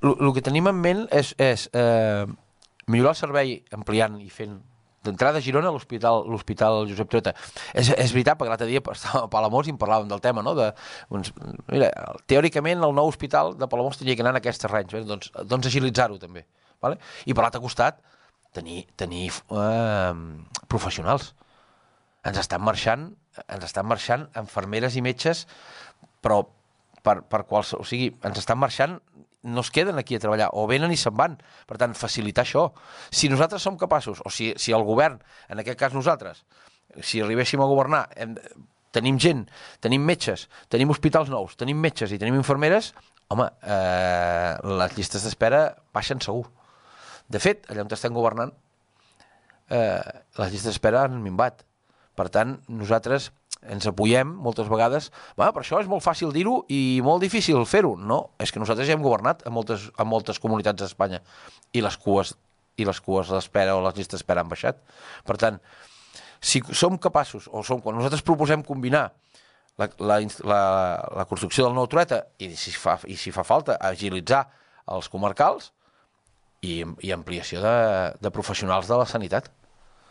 El que tenim en ment és millorar el servei ampliant i fent d'entrada a Girona l'Hospital Josep Trueta. És veritat, perquè l'altre dia estàvem a Palamós i en parlàvem del tema, no? Mira, teòricament el nou hospital de Palamós tenia que anar en aquests terrenys, doncs agilitzar-ho també. Vale? I per l'altre costat, tenir professionals. Ens estan marxant infermeres i metges, però o sigui, ens estan marxant, no es queden aquí a treballar, o venen i se'n van. Per tant, facilitar això. Si nosaltres som capaços, o si el govern, en aquest cas nosaltres, si arribéssim a governar, tenim gent, tenim metges, tenim hospitals nous, tenim metges i tenim infermeres, home, les llistes d'espera baixen segur. De fet, allà on estem governant, les llistes d'espera han minvat. Per tant, nosaltres ens apoyem moltes vegades, per això és molt fàcil dir-ho i molt difícil fer-ho. No, és que nosaltres ja hem governat a moltes comunitats d'Espanya i les cues d'espera o les llistes d'espera han baixat. Per tant, si som capaços, quan nosaltres proposem combinar la construcció del nou Trueta i si fa falta agilitzar els comarcals i ampliació de professionals de la sanitat.